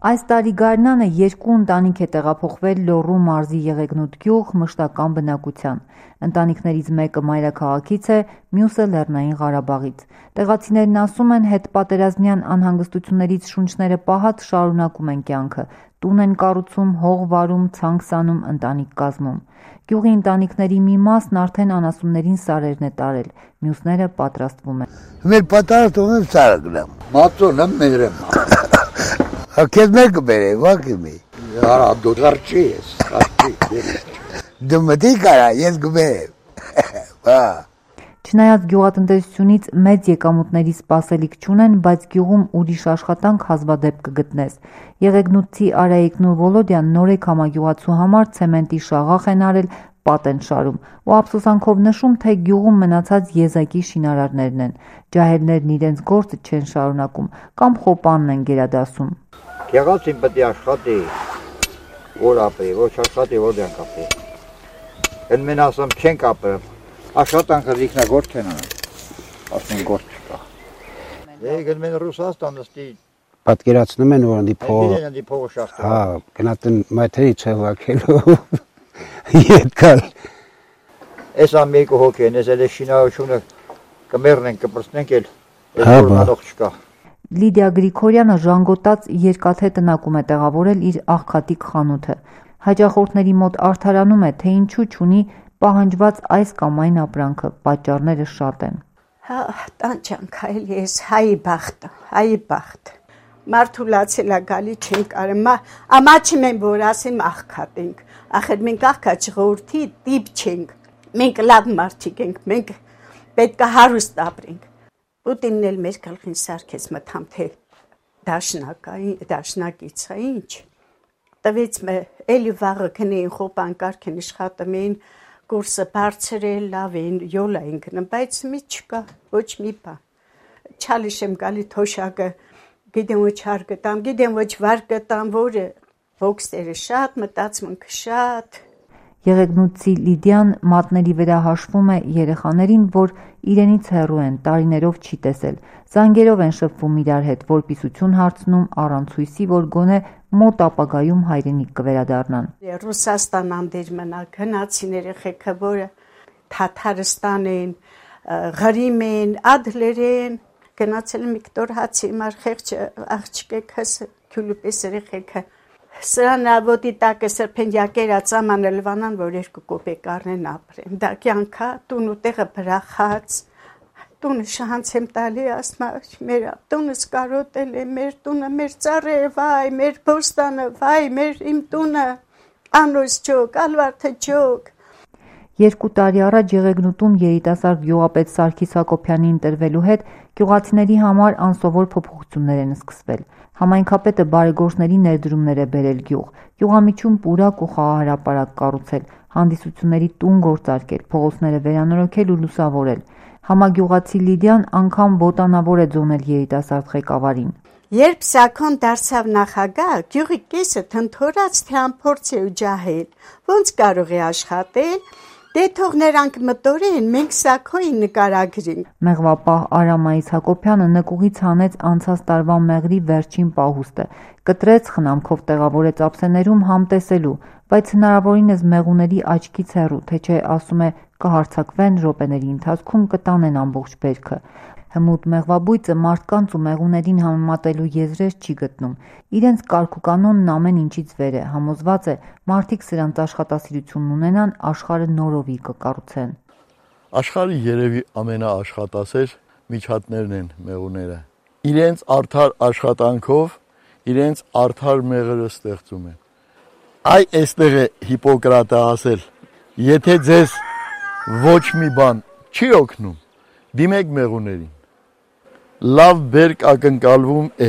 Այս տարի գարնանը 2 ընտանիք է տեղափոխվել Լոռու մարզի Եղեգնուտ գյուղ մշտական բնակության։ Ընտանիքներից մեկը մայրաքաղաքից է, մյուսը Լեռնային Ղարաբաղից։ Տեղացիներն ասում են, հետպատերազմյան անհանգստություններից շունչները պահած շարունակում են կյանքը։ Տուն են կառուցում, հող վարում, ցանք սանում, ընտանիք կազմում։ Գյուղի ընտանիքների մի մասն արդեն անասուններին սարերն է տարել, մյուսները պատրաստվում են։ Մեր պատրաստում եմ սարը գնամ։ Մածոնը մերեմ։ Քեզ մեկը բերե, վակիմի։ Արա դու դարչի ես, դարչի։ Դու մտի կարա, ես գբերեմ։ Բա։ Չնայած գյուղատնտեսությունից մեծ եկամուտների սպասելիք չունեն, բայց գյուղում ուրիշ աշխատանք հազվադեպ կգտնես։ Եղեգնուտցի Արայիկն ու Վոլոդյան նորեկ համագյուղացու համար ցեմենտի շաղախ են արել, պատ են շարում ու ափսոսանքով նշում, թե գյուղում մնացած եզակի շինարարներն են։ Ջահելներն իրենց գործը չեն շարունակում կամ խոպանն են գերադասում։ Գեղացին պետք է աշխատի, որ ապրի, ոչ աշխատի, որ դեն կապի։ Են մեն ասում չեն կապել, աշխատանքը զիքնագործ չեն անում, ասում գործ չկա։ Եգն մեն Ռուսաստանը ստի պատկերացնում են, որ դի փողը շախտը։ Հա, գնացին մայթերի չհվակելու ետքալ։ Ես ամեկու հոգ են, ես էլ շինարարությունը կմերնենք, կպրծնենք էլ, ես որ մատող չկա։ Լիդիա Գրիգորյանը ժանգոտած երկաթե տնակում է տեղավորել իր աղքատիկ խանութը։ Հաճախորդների մոտ արդարանում է, թե ինչու չունի պահանջված այս կամ այն ապրանքը, պատճառները շատ են։ Հա, տանջանք այլ ես, հայի բախտ։ Մարդու լացելա գալի չենք կարեմ, ամաչիմ են, որ ասեմ աղքատ ենք, ախր մենք աղքատ ժողովրդի տիպ չենք, մենք լավ մարդիկ ենք, մենք պետք է հարուստ ապրենք։ Պուտինն էլ մեր գլխին սարքեց մտամ, թե դաշնակից է ինչ, տվեց էլի վաղը կնեին խոպան կարքեն իշխատում էին, կուրսը բարձր է, լավ են, յոլ էին գնում, բայց մի չկա, ոչ մի բան։ Չալիշ եմ գալի թոշակը, գիտեմ ոչ հար գտամ, գիտեմ ոչ վար գտամ, որը ոգսերը շատ, մտածմունքը շատ։ Եղեգնուտցի Լիդիան մատների վրա հաշվում է երեխաներին, որ իրենից հեռու են, տարիներով չի տեսել։ Զանգերով են շփվում իրար հետ, որպիսություն հարցնում առանց հույսի, որ գոնե մոտ ապագայում հայրենիք կվերադառնան։ Ռուսաստան անդեր մնա, գնացին երեխեքը, որը Թաթարստան են, Ղրիմ են, Ադլեր են, գնացել Միկտոր հացի մար խեղճ աղջիկեքս, քյուլուպես երեխեքը Սրանա ոտի տակը սրպենյակերա ծամանը լվանան, որ 2 կոպեկ առնեն ապրեն։ Դա կյանքա, տուն ու տեղը բրախած, տունը շահանց եմ տալի, ասմա, մեր տունս կարոտել է, մեր տունը, մեր ծառը, վայ, մեր բոստանը, վայ, մեր իմ տունը, անոս չոք, ալվարդը չոք։ 2 տարի առաջ Եղեգնուտում երիտասարդ գյուղապետ Սարգիս Հակոբյանի ընտրվելու հետ գյուղացիների համար անսովոր փոփոխություններ են սկսվել։ Համայնքապետը բարեգործների ներդրումներ է բերել գյուղ, գյուղամիջում պուրակ ու խաղահարապարակ կառուցել, հանդիսությունների տուն գործարկել, փողոցները վերանորոգել ու լուսավորել։ Համագյուղացի Լիդիան անգամ ոտանավոր է ձոնել երիտասարդ ղեկավարին։ Երբ Սաքոն դարձավ նախագահ, գյուղի կեսը թնթորած թե անփորձ է ու ջահել, ոնց կարող է աշխատել։ Դե թող նրանք մտորեն, մենք Սաքոյին նկարագրենք։ Մեղվապահ Արամայիս Հակոբյանը նկուղից հանեց անցած տարվա մեղրի վերջին պահուստը, կտրեց խնամքով տեղավորեց ափսեներում համտեսելու, բայց հնարավորինս մեղուների աչքից հեռու, թե չէ ասում է կհարձակվեն րոպեների ընթացքում կտանեն ամբողջ բերքը։ Հմուտ մեղվաբույծը մարդկանց ու մեղուներին համեմատելու եզրեր չի գտնում։ Իրենց կարգուկանոնն ամեն ինչից վեր է, համոզված է, մարդիկ սրանց աշխատասիրությունն ունենան, աշխարհը նորովի կկառուցեն։ Աշխարհի երևի ամենաաշխատասեր միջատներն են մեղուները։ Իրենց արդար աշխատանքով, իրենց արդար մեղրը ստեղծում են։ Այ այստեղ է Հիպոկրատը ասել. եթե ձեզ ոչ մի բան չի օգնում, դիմեք մեղուներին։ Լավ բերք ակնկալվում է։